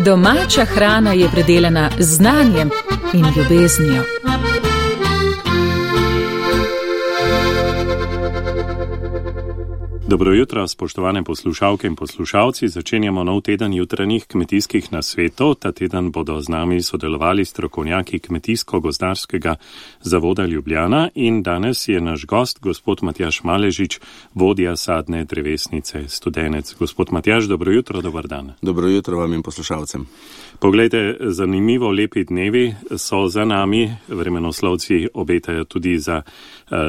Domača hrana je predelana z znanjem in ljubeznijo. Dobro jutro, spoštovane poslušalke in poslušalci. Začenjamo nov teden jutranjih kmetijskih nasvetov. Ta teden bodo z nami sodelovali strokovnjaki Kmetijsko-gozdarskega zavoda Ljubljana in danes je naš gost, gospod Matjaž Maležič, vodja sadne drevesnice Studenec. Gospod Matjaž, dobro jutro, dober dan. Dobro jutro vam in poslušalcem. Poglejte, zanimivo lepi dnevi so za nami, vremenoslovci obetajo tudi za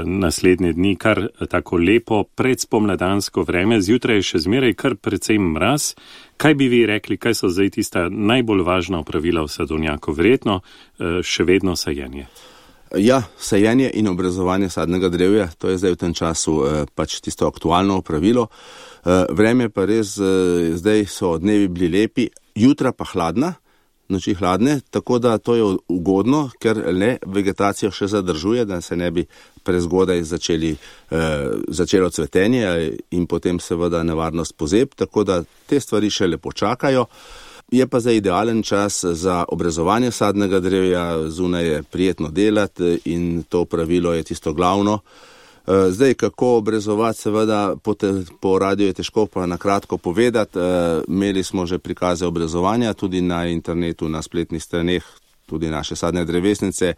naslednje dni kar tako lepo predspomladansko vreme, zjutraj je še zmeraj kar precej mraz. Kaj bi vi rekli, kaj so zdaj tista najbolj važna opravila v sadovnjaku? Verjetno še vedno sajenje. Ja, sajenje in obrezovanje sadnega drevja, to je zdaj v tem času pač tisto aktualno opravilo. Vreme pa res, zdaj so dnevi bili lepi, jutra pa hladna, noči hladne, tako da to je ugodno, ker le vegetacija še zadržuje, da se ne bi prezgodaj začelo cvetenje in potem seveda nevarnost pozeb, tako da te stvari še lepo čakajo. Je pa za idealen čas za obrezovanje sadnega drevja, zunaj je prijetno delati in to pravilo je tisto glavno. Zdaj, kako obrezovati, seveda po radiju je težko pa na kratko povedati. Imeli smo že prikaze obrezovanja, tudi na internetu, na spletnih straneh, tudi naše sadne drevesnice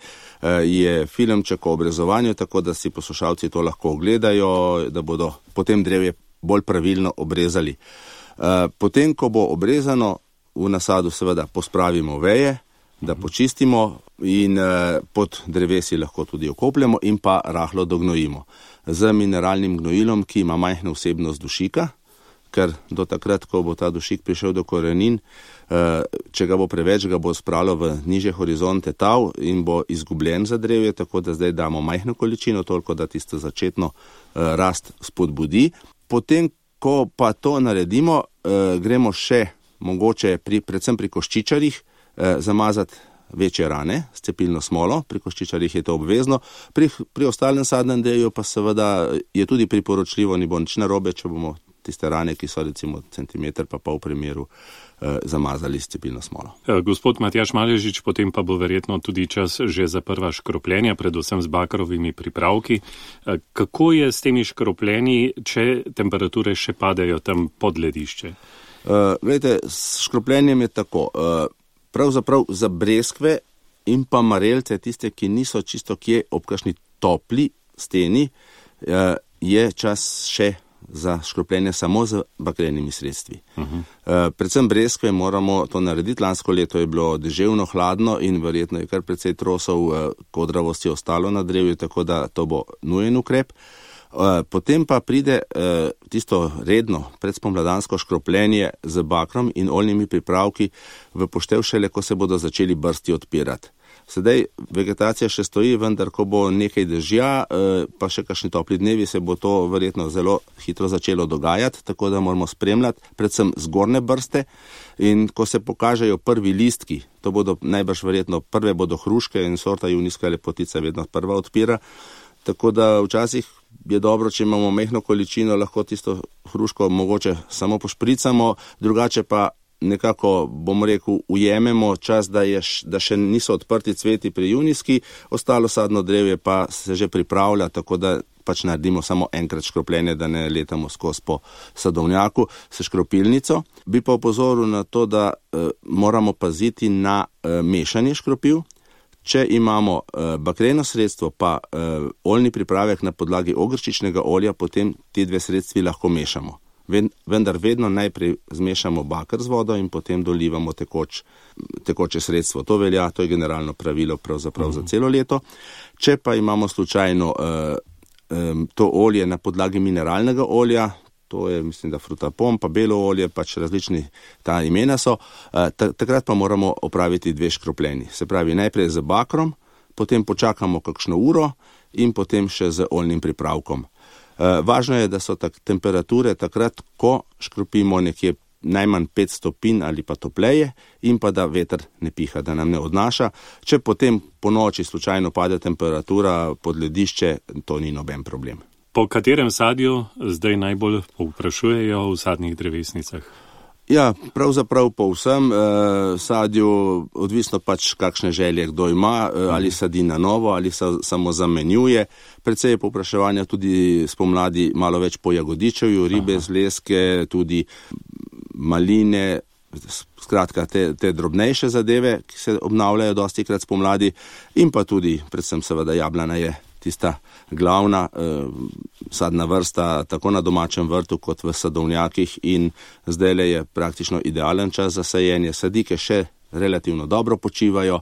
je filmček o obrezovanju, tako da si poslušalci to lahko ogledajo, da bodo potem drevje bolj pravilno obrezali. Potem, ko bo obrezano, v nasadu seveda pospravimo veje, da počistimo in pod drevesi lahko tudi okopljemo in pa rahlo dognojimo. Z mineralnim gnojilom, ki ima majhno vsebnost dušika, ker do takrat, ko bo ta dušik prišel do korenin, če ga bo preveč, ga bo spravilo v nižje horizonte tav in bo izgubljen za drevje, tako da zdaj damo majhno količino, toliko da tisto začetno rast spodbudi. Potem, ko pa to naredimo, gremo še mogoče predvsem pri koščičarjih zamazati večje rane s cepilno smolo, pri koščičarjih je to obvezno, pri ostalem sadnem drevju pa seveda je tudi priporočljivo, ni bo nič narobe, če bomo tiste rane, ki so recimo centimeter pa pol primeru, zamazali s cepilno smolo. Gospod Matjaž Maležič, potem pa bo verjetno tudi čas že za prva škropljenja, predvsem z bakrovimi pripravki. Kako je s temi škropljenji, če temperature še padajo tam pod ledišče? Glejte, s škropljenjem je tako. Pravzaprav za breskve in pa marelce, tiste, ki niso čisto kje ob kakšni topli steni, je čas še za škropljenje samo z bakrenimi sredstvi. Predvsem breskve moramo to narediti. Lansko leto je bilo deževno, hladno in verjetno je kar precej trosov kodravosti ostalo na drevju, tako da to bo nujen ukrep. Potem pa pride tisto redno predspomladansko škropljenje z bakrom in oljnimi pripravki v poštev šele, ko se bodo začeli brsti odpirati. Sedaj vegetacija še stoji, vendar ko bo nekaj dežja, pa še kakšni topli dnevi, se bo to verjetno zelo hitro začelo dogajati, tako da moramo spremljati predvsem zgornje brste in ko se pokažejo prvi listki, to bodo najbrž verjetno prve bodo hruške in sorta junijska lepotica vedno prva odpira, tako da včasih je dobro, če imamo majhno količino, lahko tisto hruško mogoče samo pošpricamo, drugače pa nekako, bomo rekel, ujememo čas, da še niso odprti cveti pri junijski, ostalo sadno drevje pa se že pripravlja, tako da pač naredimo samo enkrat škropljenje, da ne letamo skozi po sadovnjaku s škropilnico. Bi pa opozoril na to, da moramo paziti na mešanje škropiv. Če imamo bakreno sredstvo pa oljni pripravek na podlagi ogrščičnega olja, potem ti dve sredstvi lahko mešamo. Vendar vedno najprej zmešamo baker z vodo in potem dolivamo tekoče sredstvo. To velja, to je generalno pravilo pravzaprav za celo leto. Če pa imamo slučajno to olje na podlagi mineralnega olja, to je, mislim, da frutapom, pa belo olje, pač različni ta imena so, takrat pa moramo opraviti dve škropljenji. Se pravi, najprej z bakrom, potem počakamo kakšno uro in potem še z oljnim pripravkom. Važno je, da so temperature takrat, ko škropimo nekje najmanj 5 stopinj ali pa topleje in pa da veter ne piha, da nam ne odnaša. Če potem po noči slučajno pade temperatura pod ledišče, to ni noben problem. Po katerem sadju zdaj najbolj povprašujejo v sadnih drevesnicah? Ja, pravzaprav po vsem sadju, odvisno pač kakšne želje kdo ima, ali sadi na novo, ali se samo zamenjuje. Predvsej je povpraševanja tudi spomladi malo več po jagodičevju, ribe, zlezke, tudi maline, skratka te drobnejše zadeve, ki se obnavljajo dostikrat spomladi, in pa tudi, predvsem seveda jablana je tista glavna sadna vrsta tako na domačem vrtu kot v sadovnjakih, in zdajle je praktično idealen čas za sajenje. Sadike še relativno dobro počivajo,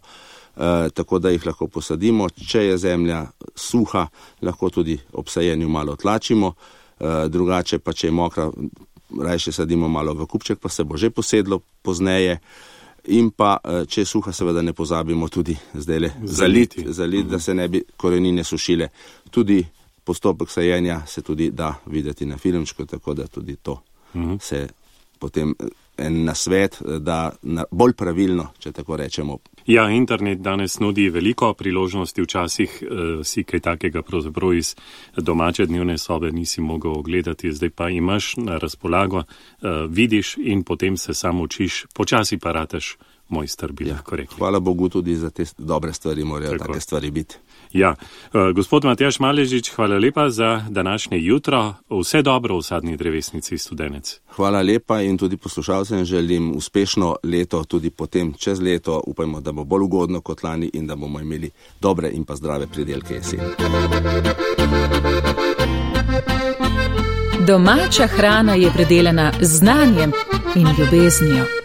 tako da jih lahko posadimo. Če je zemlja suha, lahko tudi ob sajenju malo tlačimo, drugače pa če je mokra, rajše sadimo malo v kupček, pa se bo že posedlo pozneje. In pa, če je suha, seveda ne pozabimo tudi zdajle zaliti, da se ne bi korenine sušile. Tudi postopek sajenja se tudi da videti na filmčku, tako da tudi to se potem en nasvet, da bolj pravilno, če tako rečemo. Ja, internet danes nudi veliko priložnosti, včasih si kaj takega pravzaprav iz domače dnevne sobe nisi mogel ogledati, zdaj pa imaš na razpolago, vidiš in potem se samo učiš, počasi pa rateš mojster, bi lahko rekli. Hvala Bogu tudi za te dobre stvari, morajo take stvari biti. Ja, gospod Matjaž Maležič, hvala lepa za današnje jutro. Vse dobro v sadni drevesnici Studenec. Hvala lepa in tudi poslušalcem želim uspešno leto, tudi potem čez leto. Upajmo, da bo bolj ugodno kot lani in da bomo imeli dobre in pa zdrave pridelke jeseni. Domača hrana je predelana z znanjem in ljubeznijo.